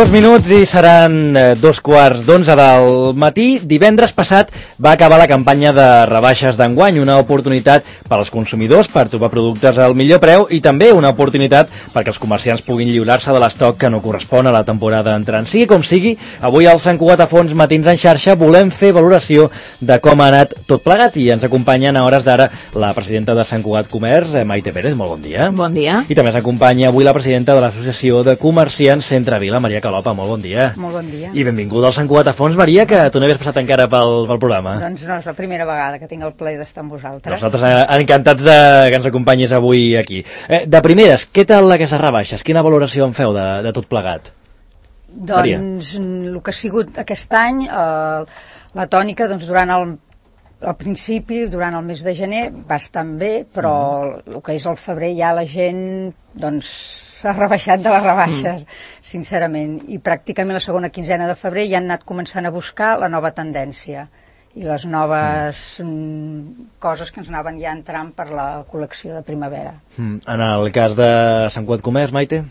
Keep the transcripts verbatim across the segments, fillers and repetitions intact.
Dos minuts i seran dos quarts d'onze del matí. Divendres passat va acabar la campanya de rebaixes d'enguany, una oportunitat per als consumidors per trobar productes al millor preu i també una oportunitat perquè els comerciants puguin lliurar-se de l'estoc que no correspon a la temporada entrant. Sigui com sigui, avui al Sant Cugat a Fons Matins en xarxa volem fer valoració de com ha anat tot plegat i ens acompanyen a hores d'ara la presidenta de Sant Cugat Comerç, Maite Pérez, molt bon dia. Bon dia. I també s'acompanya avui la presidenta de l'Associació de Comerciants Centre Vila, Maria Calopa, molt bon dia. Molt bon dia. I benvinguda al Sant Cugat a Fons, Maria, que tu no havies passat encara pel, pel programa. Doncs no, és la primera vegada que tinc el plaer d'estar amb vosaltres. Nosaltres eh, encantats de, que ens acompanyis avui aquí. Eh, de primeres, què tal aquestes rebaixes? Quina valoració en feu de, de tot plegat? Doncs Maria. El que ha sigut aquest any, eh, la tònica, doncs durant el al principi, durant el mes de gener, va estar bé, però mm. el que és el febrer ja la gent doncs s'ha rebaixat de les rebaixes, mm. sincerament. I pràcticament la segona quinzena de febrer ja han anat començant a buscar la nova tendència i les noves mm. coses que ens anaven ja entrant per la col·lecció de primavera. Mm. En el cas de Sant Cugat Comerç, Maite?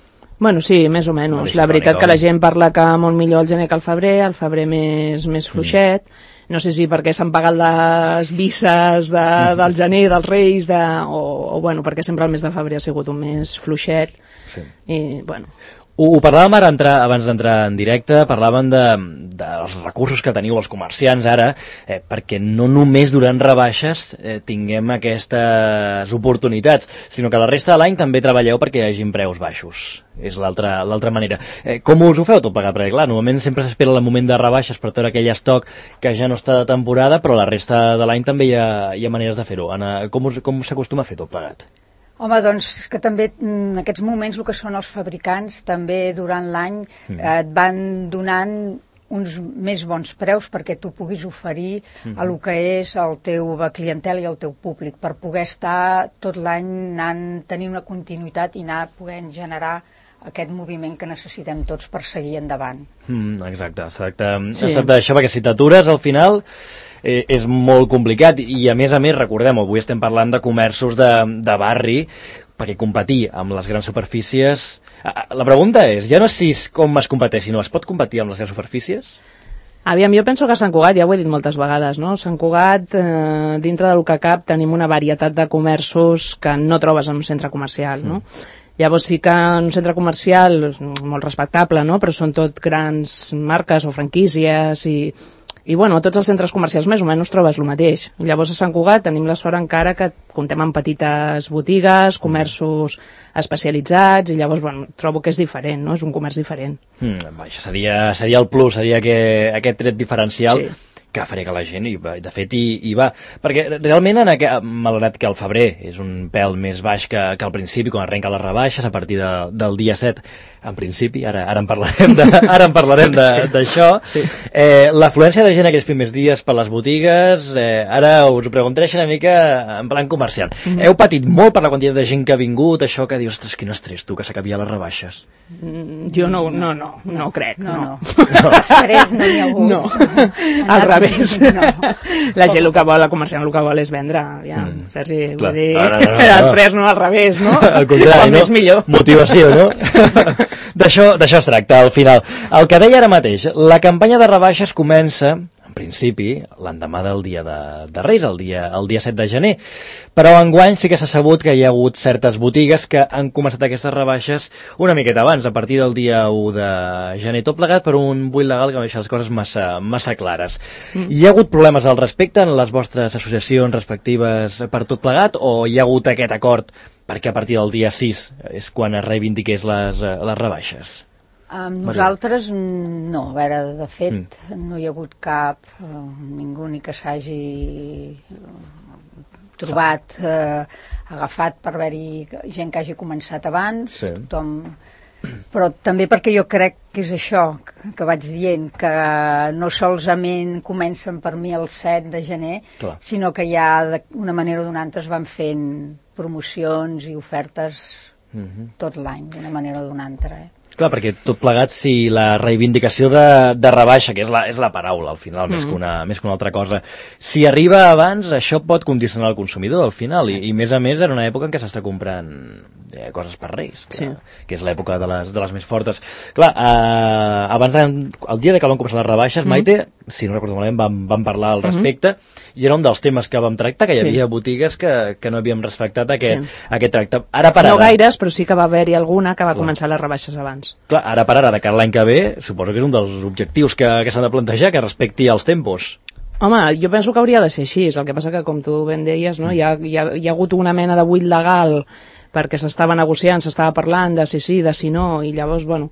Bueno, sí, més o menys. La veritat que la gent parla que molt millor el gener que el febrer, el febrer més, més fluixet. Mm. No sé si perquè s'han pagat les visses de, del gener, dels Reis, de, o, o bueno, perquè sempre el mes de febrer ha sigut un mes fluixet. Sí. I, bueno... Ho, ho parlàvem ara entrar, abans d'entrar en directe, parlàvem de, dels recursos que teniu els comerciants ara, eh, perquè no només durant rebaixes eh, tinguem aquestes oportunitats, sinó que la resta de l'any també treballeu perquè hi hagin preus baixos. És l'altra l'altra manera. Eh, com us ho feu tot plegat? Perquè clar, normalment sempre s'espera el moment de rebaixes per treure aquell estoc que ja no està de temporada, però la resta de l'any també hi ha, hi ha maneres de fer-ho. Anna, com, us, com s'acostuma a fer tot plegat? Home, doncs, és que també en aquests moments el que són els fabricants també durant l'any mm. eh, et van donant uns més bons preus perquè tu puguis oferir mm. a lo que és el teu clientel i el teu públic, per poder estar tot l'any anant, tenir una continuïtat i anar podent generar aquest moviment que necessitem tots per seguir endavant. Mm, exacte, exacte. Sí. Es tracta d'això, perquè si t'atures al final eh, és molt complicat i a més a més, recordem, avui estem parlant de comerços de, de barri, perquè competir amb les grans superfícies... La pregunta és, ja no és si com es competeix, sinó es pot competir amb les grans superfícies? Aviam, jo penso que a Sant Cugat, ja ho he dit moltes vegades, no? Sant Cugat, eh, dintre del que cap, tenim una varietat de comerços que no trobes en un centre comercial, no? Mm. Llavors sí que en un centre comercial molt respectable, no? Però són tot grans marques o franquícies i, i bueno, a tots els centres comercials més o menys trobes el mateix. Llavors a Sant Cugat tenim la sort encara que comptem amb petites botigues, comerços especialitzats i llavors, bueno, trobo que és diferent, no? És un comerç diferent. Mm, això seria, seria el plus, seria que, aquest tret diferencial... Sí. Que faria que la gent, i de fet, hi, hi va. Perquè realment, en aquest, malgrat que el febrer és un pèl més baix que, que al principi, quan arrenca les rebaixes, a partir de, del dia set, en principi, ara, ara en parlarem de, ara en parlarem d'això, sí. sí. eh, l'afluència de gent aquests primers dies per les botigues, eh, ara us ho preguntaré una mica en plan comercial. Mm-hmm. Heu patit molt per la quantitat de gent que ha vingut, això que dius, ostres, quin estrès, tu, que s'acabi ja les rebaixes. Mm, jo no, no, no, no, no crec, no. no. no. Estrès no n'hi ha hagut. No, al revés. No. La gent el que vol, la comerciant el que vol és vendre, ja, mm. Sergi, vull dir, no, no, no, no. Després no, al revés, no? Al contrari, no? Més millor. Motivació, no? D'això es tracta, al final. El que deia ara mateix, la campanya de rebaixes comença, en principi, l'endemà del dia de, de Reis, el dia, el dia set de gener, però enguany sí que s'ha sabut que hi ha hagut certes botigues que han començat aquestes rebaixes una miqueta abans, a partir del dia u de gener, tot plegat per un buit legal que no deixa les coses massa, massa clares. Mm. Hi ha hagut problemes al respecte en les vostres associacions respectives per tot plegat, o hi ha hagut aquest acord perquè a partir del dia sis és quan es reivindiqués les, les rebaixes? Um, nosaltres no, a veure, de fet mm. no hi ha hagut cap uh, ningú ni que s'hagi trobat uh, agafat per haver-hi gent que hagi començat abans, sí. Tothom... però també perquè jo crec que és això que vaig dient, que no solament comencen per mi el set de gener, clar, sinó que ja d'una manera o d'una altra es van fent promocions i ofertes mm-hmm. tot l'any, d'una manera o d'una altra. Eh? Clar, perquè tot plegat, si la reivindicació de, de rebaixa, que és la, és la paraula al final, mm. més, que una, més que una altra cosa, si arriba abans, això pot condicionar el consumidor al final, sí. i, i més a més en una època en què s'està comprant eh, coses per Reis, que, sí. que és l'època de les, de les més fortes. Clar, eh, abans, el dia de que van començar les rebaixes, mm. Maite, si no recordo malament, vam, vam parlar al respecte, mm. i era un dels temes que vam tractar, que hi havia sí. botigues que, que no havíem respectat aquest, sí. aquest tracte. Ara per ara... No gaires, però sí que va haver-hi alguna que va Clar. començar les rebaixes abans. Clar, ara per ara, de cara l'any que ve, suposo que és un dels objectius que, que s'han de plantejar, que respecti els tempos. Home, jo penso que hauria de ser així, el que passa que, com tu ben deies, no, hi, ha, hi, ha, hi ha hagut una mena de buit legal perquè s'estava negociant, s'estava parlant de si sí, de si no, i llavors, bueno,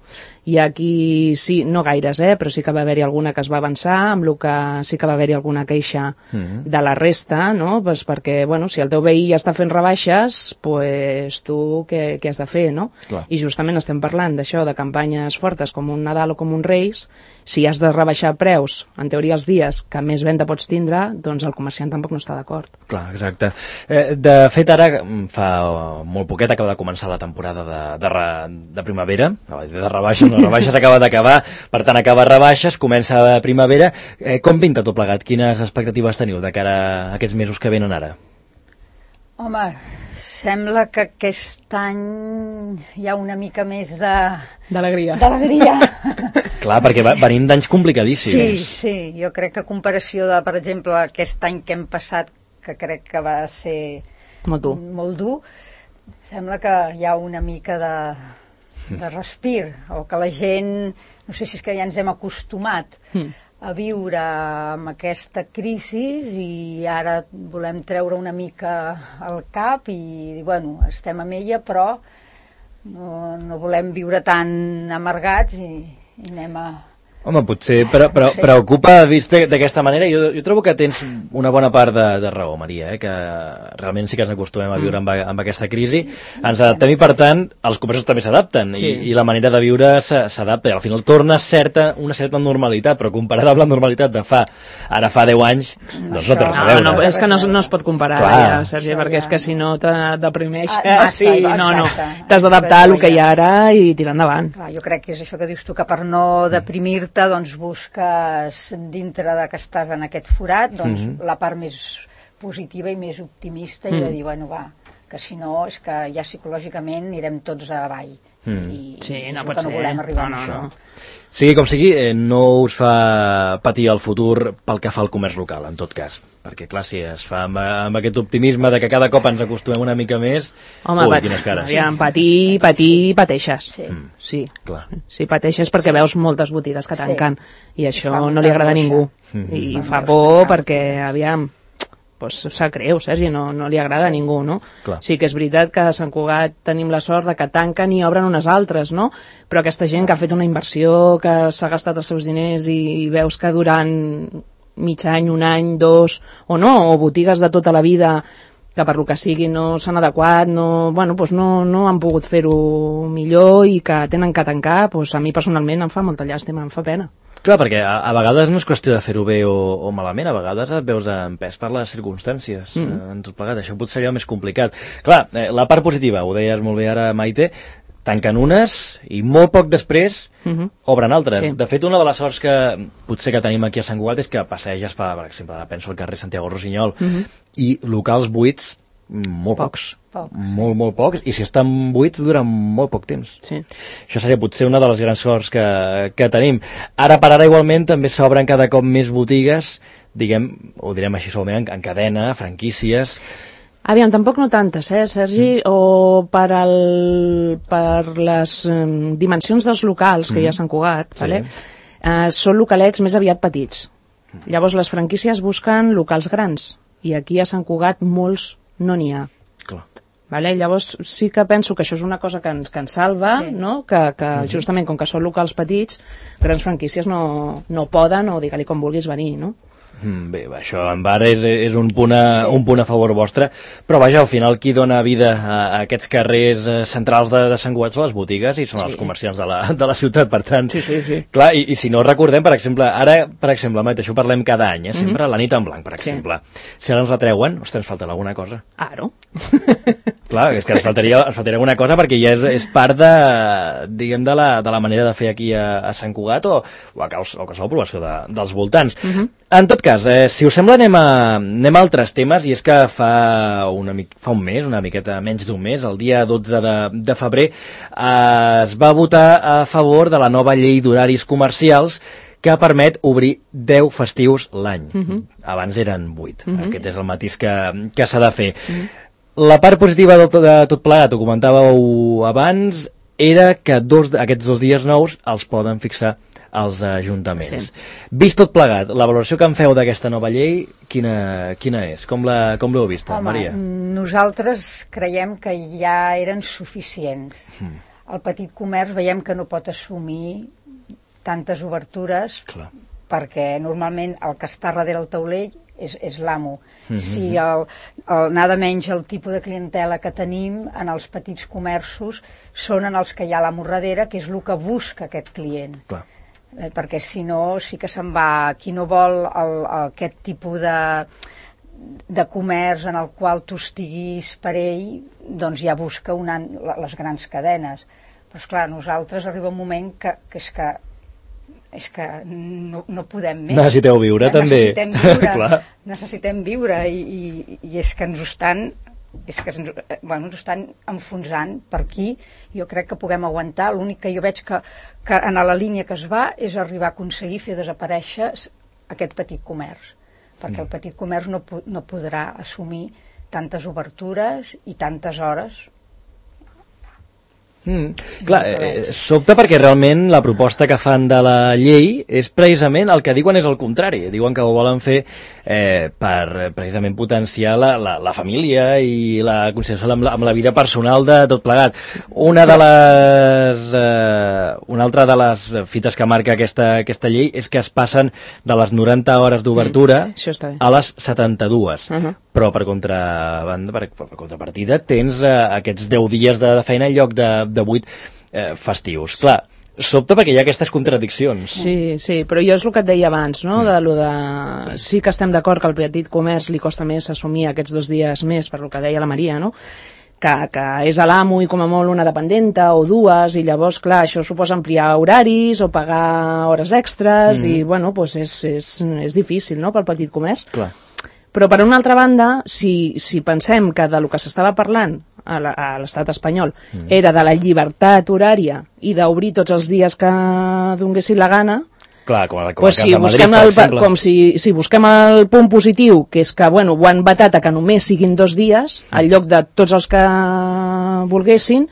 i aquí sí, no gaires, eh, però sí que va haver-hi alguna que es va avançar, amb el que sí que va haver-hi alguna queixa mm-hmm. de la resta, no?, pues perquè, bueno, si el teu veí ja està fent rebaixes, pues tu què, què has de fer, no? Clar. I justament estem parlant d'això, de campanyes fortes com un Nadal o com un Reis, si has de rebaixar preus, en teoria els dies que més venda pots tindre, doncs el comerciant tampoc no està d'acord. Clar, exacte. Eh, de fet, ara fa molt poquet acaba de començar la temporada de, de, de primavera, de rebaixes, no, rebaixes acaba d'acabar, per tant acaba rebaixes, comença la primavera. Eh, com pinta tot plegat? Quines expectatives teniu de cara a aquests mesos que venen ara? Home, sembla que aquest any hi ha una mica més de... D'alegria. D'alegria. Clar, perquè venim d'anys complicadíssims. Sí, sí, jo crec que a comparació de, per exemple, aquest any que hem passat, que crec que va ser molt dur, molt dur, sembla que hi ha una mica de, de respir, o que la gent, no sé si és que ja ens hem acostumat mm. a viure amb aquesta crisi i ara volem treure una mica el cap i, bueno, estem amb ella, però no, no volem viure tan amargats i, i anem a... Home, potser però, però, preocupa vist d'aquesta manera. Jo, jo trobo que tens una bona part de, de raó, Maria, eh? Que realment sí que ens acostumem a viure amb, amb aquesta crisi. Ens adaptem i, per tant, els comerços també s'adapten sí. i, i la manera de viure s'adapta. Al final torna certa, una certa normalitat, però comparada amb la normalitat de fa ara fa deu anys, doncs no té res a veure. No, no, és que no, no es pot comparar, ja, Sergi, perquè és que si no te deprimeix. Ah, massa, sí, no, no. T'has d'adaptar al que hi ha ara i tirar endavant. Clar, jo crec que és això que dius tu, que per no deprimir doncs busques dintre de que estàs en aquest forat doncs mm-hmm. la part més positiva i més optimista mm. i de dir, bueno, va, que si no és que ja psicològicament anirem tots avall mm. i, sí, no i pot que no ser. volem arribar no, a això. No, no. Sigui com sigui, eh, no us fa patir el futur pel que fa al comerç local, en tot cas. Perquè, clar, si es fa amb, amb aquest optimisme de que cada cop ens acostumem una mica més... Home, ui, quines cares. Ja, patir, patir, pateixes. Sí. Mm. Sí. Clar. Sí, pateixes perquè veus moltes botigues que tanquen sí. i això no li agrada a ningú. Mm-hmm. I mm. fa por perquè, aviam... pues sap greu, Sergi, no, no li agrada sí. a ningú, no? Clar. Sí que és veritat que a Sant Cugat tenim la sort de que tanquen i obren unes altres, no? Però aquesta gent que ha fet una inversió, que s'ha gastat els seus diners i, i veus que durant mig any, un any, dos, o no, o botigues de tota la vida que per lo que sigui no s'han adequat, no, bueno, pues no, no han pogut fer-ho millor i que tenen que tancar, pues a mi personalment em fa molta llàstima, em fa pena. Clar, perquè a, a vegades no és qüestió de fer-ho bé o, o malament, a vegades et veus empès per les circumstàncies. Mm. Eh, en tot plegat, això potser seria més complicat. Clar, eh, la part positiva, ho deies molt bé ara, Maite, tanquen unes i molt poc després mm-hmm. obren altres. Sí. De fet, una de les sorts que potser que tenim aquí a Sant Cugat és que passeges, per, per exemple, ara penso al carrer Santiago Rossinyol, mm-hmm. i locals buits, molt pocs. Poc. Molt, molt pocs, i si estan buits duren molt poc temps. Sí. Això seria potser una de les grans sorts que, que tenim. Ara per ara igualment també s'obren cada cop més botigues, diguem, ho direm així solament, en, en cadena, franquícies... Aviam, tampoc no tantes, eh, Sergi? Mm. O per, el, per les um, dimensions dels locals que mm. hi ha a Sant Cugat, sí. vale? uh, són localets més aviat petits. Mm. Llavors les franquícies busquen locals grans, i aquí a Sant Cugat molts no n'hi ha. Clar. Vale? Llavors sí que penso que això és una cosa que ens, que ens salva, sí. no? que, que mm-hmm. justament com que són locals petits, grans franquícies no, no poden, o digue-li com vulguis venir, no? Mm, bé, això en bar és, és un, punt a, sí. un punt a favor vostre, però vaja, al final qui dona vida a, a aquests carrers centrals de, de Sant Cugat són les botigues i són sí. els comerciants de la, de la ciutat, per tant, sí, sí, sí. clar, i, i si no recordem, per exemple, ara, per exemple, Maite, això ho parlem cada any, eh, sempre mm-hmm. la nit en blanc, per exemple, sí. si ara ens retreuen, ostres, ens falta alguna cosa. Ah, no? Clar, és que ens faltaria, ens faltaria alguna cosa perquè ja és, és part de, diguem, de la, de la manera de fer aquí a, a Sant Cugat o, o a qualsevol població de, dels voltants. Uh -huh. En tot cas, eh, si us sembla, anem a, anem a altres temes, i és que fa, una, fa un mes, una miqueta menys d'un mes, el dia dotze de, de febrer, eh, es va votar a favor de la nova llei d'horaris comercials que permet obrir deu festius l'any. Uh -huh. Abans eren vuit. Uh -huh. Aquest és el matís que, que s'ha de fer. Uh -huh. La part positiva de tot, de tot plegat, ho comentàveu abans, era que dos, aquests dos dies nous els poden fixar els ajuntaments. Sí. Vist tot plegat, la valoració que en feu d'aquesta nova llei, quina, quina és? Com l'heu vista, Home, Maria? Nosaltres creiem que ja eren suficients. Mm. El petit comerç veiem que no pot assumir tantes obertures. Clar. Perquè normalment el que està darrere el taulell és, és l'amo. Mm-hmm. Si el, el, nada menys el tipus de clientela que tenim en els petits comerços són en els que hi ha l'amo darrere, que és el que busca aquest client. Clar. Eh, perquè si no, sí que se'n va. Qui no vol el, el, aquest tipus de, de comerç en el qual tu estiguis per ell, doncs ja busca una, les grans cadenes. Però esclar, nosaltres arriba un moment que, que és que és que no, no podem més. Necessiteu viure, ja, també. Necessitem viure, necessitem viure i, i, i és que ens ho estan és que ens, bueno, ens estan enfonsant per aquí. Jo crec que puguem aguantar. L'únic que jo veig que, que en la línia que es va és arribar a aconseguir fer desaparèixer aquest petit comerç, perquè mm. el petit comerç no, no podrà assumir tantes obertures i tantes hores. Mm. Clar, eh, sobta perquè realment la proposta que fan de la llei és precisament el que diuen és el contrari. Diuen que ho volen fer eh, per precisament potenciar la, la, la família i la conciliació amb la, amb la vida personal de tot plegat. Una de les eh, una altra de les fites que marca aquesta, aquesta llei és que es passen de les noranta hores d'obertura mm, a les setanta-dues. Uh-huh. Però per, contra, per, per contrapartida tens eh, aquests deu dies de, de feina en lloc de, de vuit eh, festius. Clar, sobta perquè hi ha aquestes contradiccions. Sí, sí, però jo és el que et deia abans, no? Mm. De lo de... Sí que estem d'acord que al petit comerç li costa més assumir aquests dos dies més, per lo que deia la Maria, no? Que, que és a l'amo i com a molt una dependenta o dues, i llavors, clar, això suposa ampliar horaris o pagar hores extres, mm. i, bueno, doncs és, és, és difícil, no?, pel petit comerç. Clar. Però, per una altra banda, si, si pensem que de lo que s'estava parlant a l'estat espanyol mm. era de la llibertat horària i d'obrir tots els dies que donguessin la gana, clar, com a, com pues a si casa de Madrid, el, per exemple. Com si, si busquem el punt positiu, que és que, bueno, ho han vetat a que només siguin dos dies, mm. al lloc de tots els que volguessin,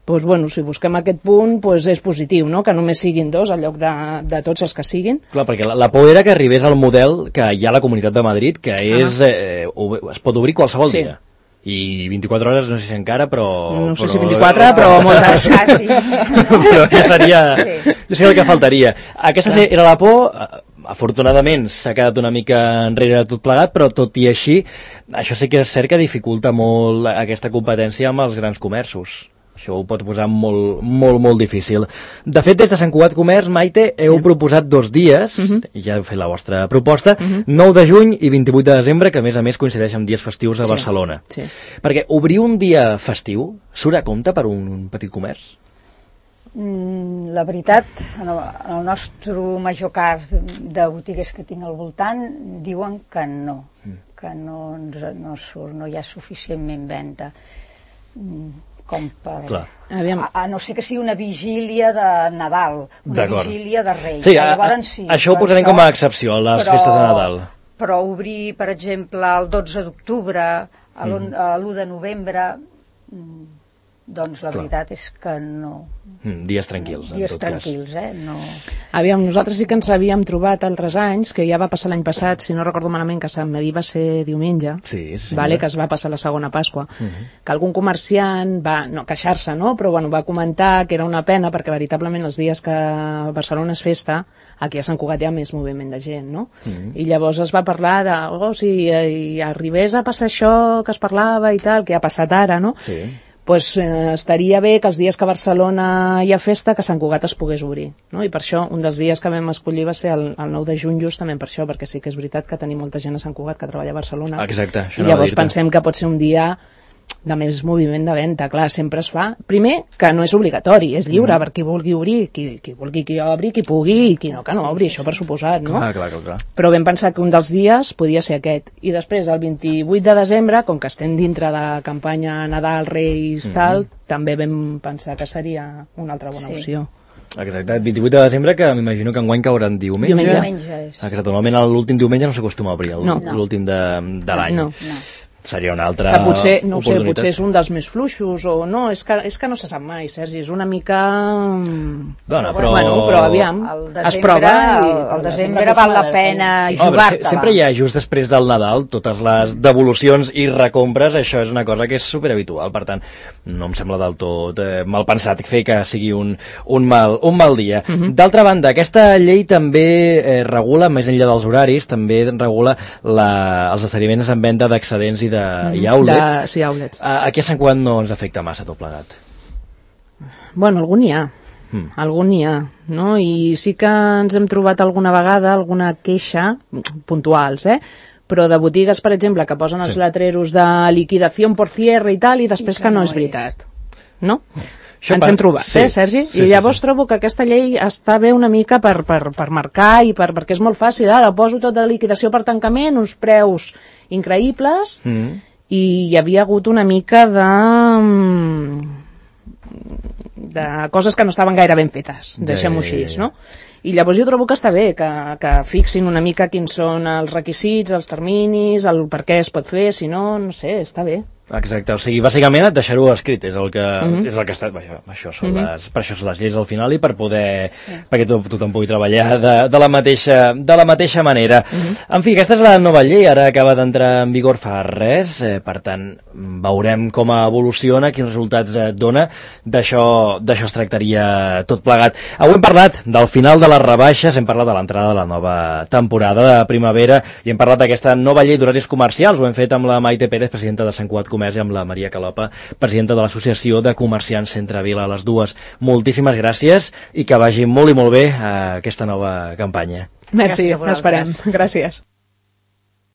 pues, bueno, si busquem aquest punt, pues, és positiu, no?, que només siguin dos al lloc de, de tots els que siguin. Clar, perquè la, la por era que arribés al model que hi ha a la Comunitat de Madrid, que és, eh, es pot obrir qualsevol sí. dia. I vint-i-quatre hores, no sé si encara, però... No sé però, si vint-i-quatre, però moltes. Ah, sí. Però ja seria... Sí. Jo sé el que faltaria. Aquesta clar. Era la por... Afortunadament s'ha quedat una mica enrere tot plegat, però tot i així, això sí que és cert que dificulta molt aquesta competència amb els grans comerços. Això ho pot posar molt, molt, molt difícil. De fet, des de Sant Cugat Comerç, Maite, heu sí. proposat dos dies, uh -huh. i ja heu fet la vostra proposta, uh -huh. nou de juny i vint-i-vuit de desembre, que a més a més coincideix amb dies festius a sí. Barcelona. Sí. Perquè obrir un dia festiu surt a compte per un petit comerç? Mm, la veritat, en el, en el nostre major cas de botigues que tinc al voltant, diuen que no, mm. que no, no surt, no hi ha suficientment venda. Mm. Com per... A, a no ser que sigui una vigília de Nadal, una vigília de Reis. Sí, a, a, sí, això ho posarem com a excepció, a les però, festes de Nadal. Però obrir, per exemple, el dotze d'octubre, l'u de novembre, doncs la Clar. veritat és que no... Mm, dies tranquils, en dies tot tranquils, cas. eh? No... Aviam, nosaltres sí que ens havíem trobat altres anys, que ja va passar l'any passat, si no recordo malament, que Sant Medir va ser diumenge, sí, sí, vale, que es va passar la segona Pasqua, uh -huh. que algun comerciant va, no queixar-se, no?, però bueno, va comentar que era una pena, perquè veritablement els dies que Barcelona és festa, aquí a Sant Cugat hi ha més moviment de gent, no? Uh -huh. I llavors es va parlar de, oh, si eh, arribés a passar això que es parlava i tal, que ha passat ara, no? Sí. Pues, eh, estaria bé que els dies que a Barcelona hi ha festa, que Sant Cugat es pogués obrir, no? I per això un dels dies que vam escollir va ser el, el nou de juny, justament per això, perquè sí que és veritat que tenim molta gent a Sant Cugat que treballa a Barcelona. Exacte, això i llavors pensem que pot ser un dia de més moviment de venda, clar, sempre es fa. Primer, que no és obligatori, és lliure mm. per qui vulgui obrir, qui, qui vulgui que obri, qui pugui, i qui no, que no obri, això per suposat, no? Clar, clar, clar, clar. Però vam pensar que un dels dies podia ser aquest. I després, el vint-i-vuit de desembre, com que estem dintre de campanya Nadal, Reis, mm. tal, també vam pensar que seria una altra bona sí. opció. Exacte, el vint-i-vuit de desembre, que m'imagino que enguany caurà en diumenge. Diumenge. Diumenge és. Exacte, normalment l'últim diumenge no s'acostuma a obrir, no. l'últim de, de l'any. No, no. Seria una altra que potser, no ho sé, oportunitat. potser és un dels més fluixos o no, és que, és que no se sap mai, Sergi, és una mica... Dona, però... Bueno, però aviam, desembre, es prova i... El, el desembre val la pena sí. jugar-te-la. Oh, sempre hi ha, just després del Nadal, totes les devolucions i recompres, això és una cosa que és superhabitual, per tant, no em sembla del tot eh, mal pensat fer que sigui un, un, mal, un mal dia. Uh -huh. D'altra banda, aquesta llei també eh, regula, més enllà dels horaris, també regula la, els esdeveniments en venda d'excedents i de mm-hmm. i outlets. De, sí, outlets. A, aquí a Sant Cugat no ens afecta massa tot plegat. Bueno, algun n'hi ha. Mm. Algun n'hi ha, no? I sí que ens hem trobat alguna vegada alguna queixa, puntuals, eh? Però de botigues, per exemple, que posen els sí. letreros de liquidació por cierre i tal, i després I que, que no, no és veritat. No? Això ens hem trobat, sí. eh, Sergi? Sí, I llavors sí, sí. trobo que aquesta llei està bé una mica per, per, per marcar i per, perquè és molt fàcil. Ara poso tot de liquidació per tancament, uns preus increïbles, mm. i hi havia hagut una mica de... de coses que no estaven gaire ben fetes, deixem-ho així, no? I llavors jo trobo que està bé que, que fixin una mica quins són els requisits, els terminis, el per què es pot fer, si no, no sé, està bé. Exacte, o sigui, bàsicament et deixar-ho escrit, és el que, mm-hmm. és el que està, això, això són mm-hmm. les, per això són les lleis al final i per poder, sí. perquè to, tothom pugui treballar de, de, la mateixa, de la mateixa manera. Mm-hmm. En fi, aquesta és la nova llei, ara acaba d'entrar en vigor fa res, eh, per tant, veurem com evoluciona, quins resultats eh, dona, d'això d'això es tractaria tot plegat. Avui hem parlat del final de les rebaixes, hem parlat de l'entrada de la nova temporada de primavera i hem parlat d'aquesta nova llei d'horaris comercials, ho hem fet amb la Maite Pérez, presidenta de Sant Cugat Comerç, i amb la Maria Calopa, presidenta de l'Associació de Comerciants Centrevila. A les dues, moltíssimes gràcies i que vagi molt i molt bé a aquesta nova campanya. Merci, esperem. Gràcies.